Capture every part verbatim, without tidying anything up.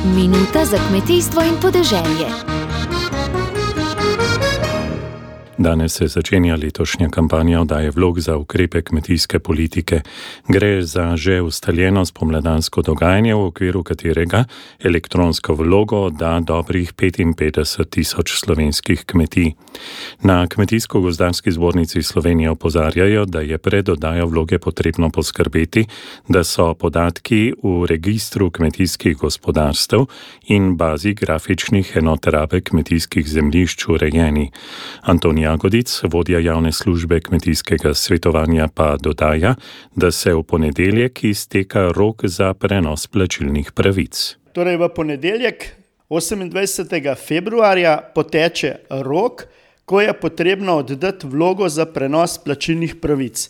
Minuta za kmetijstvo in podeželje. Danes se začenja letošnja kampanja oddaje vlog za ukrepe kmetijske politike. Gre za že ustaljeno spomladansko dogajanje, v okviru katerega elektronsko vlogo odda dobrih petinpetdeset tisoč slovenskih kmetij. Na Kmetijsko-gozdarski zbornici Slovenije opozarjajo, da je pred oddajo vloge potrebno poskrbeti, da so podatki v registru kmetijskih gospodarstev in bazi grafičnih enot rabe kmetijskih zemljišč urejeni. Anton Jagodic, vodja javne službe kmetijskega svetovanja, pa dodaja, da se v ponedeljek izteka rok za prenos plačilnih pravic. Torej v ponedeljek osemindvajsetega februarja poteče rok, ko je potrebno oddati vlogo za prenos plačilnih pravic.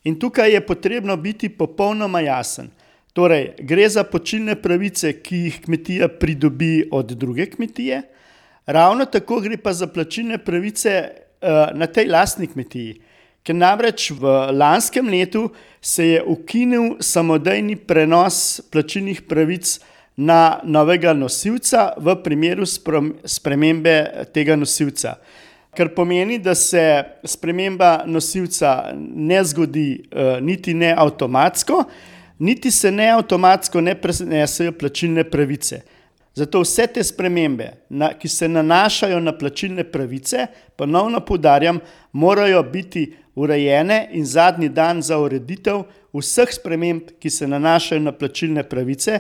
In tukaj je potrebno biti popolnoma jasen. Torej, gre za plačilne pravice, ki jih kmetija pridobi od druge kmetije, ravno tako gre pa za plačilne pravice na tej lastni kmetiji, ker namreč v lanskem letu se je ukinil samodejni prenos plačilnih pravic na novega nosilca v primeru spremembe tega nosilca. Kar pomeni, da se sprememba nosilca ne zgodi niti ne avtomatsko, niti se ne avtomatsko ne prenesejo plačilne pravice. Zato vse te spremembe, ki se nanašajo na plačilne pravice, ponovno poudarjam, morajo biti urejene in zadnji dan za ureditev vseh sprememb, ki se nanašajo na plačilne pravice,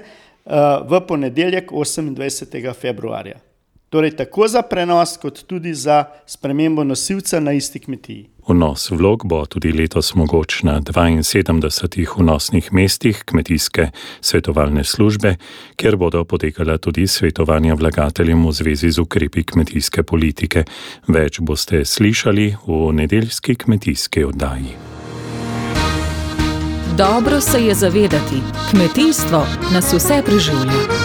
v ponedeljek osemindvajsetega februarja. Torej tako za prenos, kot tudi za spremembo nosilca na isti kmetiji. Vnos vlog bo tudi letos mogoč na dvainsedemdesetih vnosnih mestih kmetijske svetovalne službe, kjer bodo potekala tudi svetovanja vlagateljem v zvezi z ukrepi kmetijske politike. Več boste slišali v nedeljski kmetijski oddaji. Dobro se je zavedati, kmetijstvo nas vse preživlja.